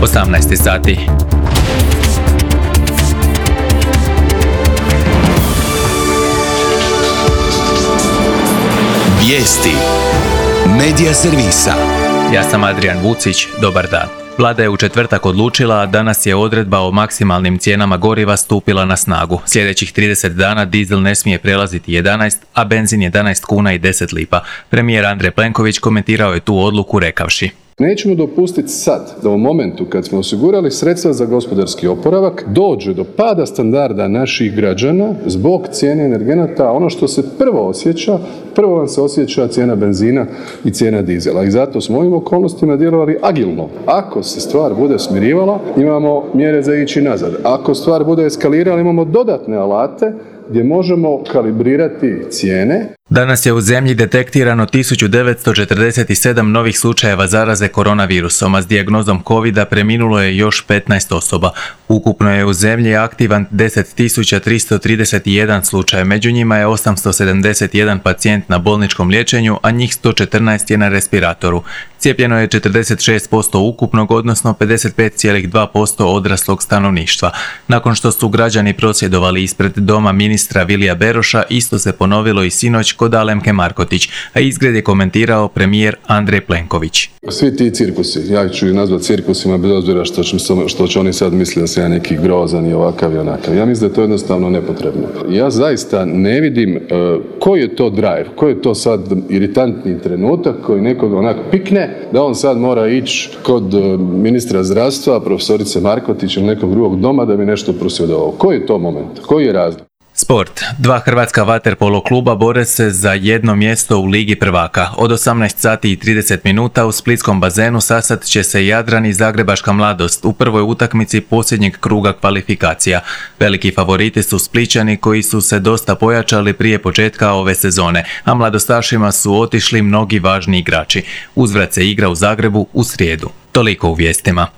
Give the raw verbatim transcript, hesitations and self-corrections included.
osamnaest sati. Vijesti Medija servisa. Ja sam Adrian Vucić, dobar dan. Vlada je u četvrtak odlučila, a danas je odredba o maksimalnim cijenama goriva stupila na snagu. Sljedećih trideset dana dizel ne smije prelaziti jedanaest, a benzin jedanaest kuna i deset lipa. Premijer Andrej Plenković komentirao je tu odluku rekavši: Nećemo dopustiti sad da u momentu kad smo osigurali sredstva za gospodarski oporavak dođe do pada standarda naših građana zbog cijene energenata. Ono što se prvo osjeća, prvo vam se osjeća cijena benzina i cijena dizela. I zato smo u ovim okolnostima djelovali agilno. Ako se stvar bude smirivala, imamo mjere za ići nazad. Ako stvar bude eskalirala, imamo dodatne alate gdje možemo kalibrirati cijene. Danas je u zemlji detektirano tisuću devetsto četrdeset sedam novih slučajeva zaraze koronavirusom, a s dijagnozom covida preminulo je još petnaest osoba. Ukupno je u zemlji aktivan deset tisuća tristo trideset jedan slučaj, među njima je osamsto sedamdeset jedan pacijent na bolničkom liječenju, a njih sto četrnaest je na respiratoru. Cijepljeno je četrdeset šest posto ukupnog, odnosno pedeset pet zarez dva posto odraslog stanovništva. Nakon što su građani prosvjedovali ispred doma ministra Vilija Beroša, isto se ponovilo i sinoć kod Alemke Markotić, a izgled je komentirao premijer Andrej Plenković. Svi ti cirkusi, ja ću ih nazvati cirkusima bez obzira što će, što će oni sad misliti da sam ja neki grozan i ovakav i onakav. Ja mislim da je to jednostavno nepotrebno. Ja zaista ne vidim uh, koji je to drive, koji je to sad iritantni trenutak koji nekog onako pikne da on sad mora ići kod uh, ministra zdravstva, profesorice Markotić ili nekog drugog doma da bi nešto prosvjedovao. Koji je to moment? Koji je razlog? Sport. Dva hrvatska vaterpolo kluba bore se za jedno mjesto u Ligi prvaka. Od osamnaest sati i trideset minuta u splitskom bazenu sastat će se Jadran i Zagrebačka mladost u prvoj utakmici posljednjeg kruga kvalifikacija. Veliki favoriti su Splićani koji su se dosta pojačali prije početka ove sezone, a mladostašima su otišli mnogi važni igrači. Uzvrat se igra u Zagrebu u srijedu. Toliko u vijestima.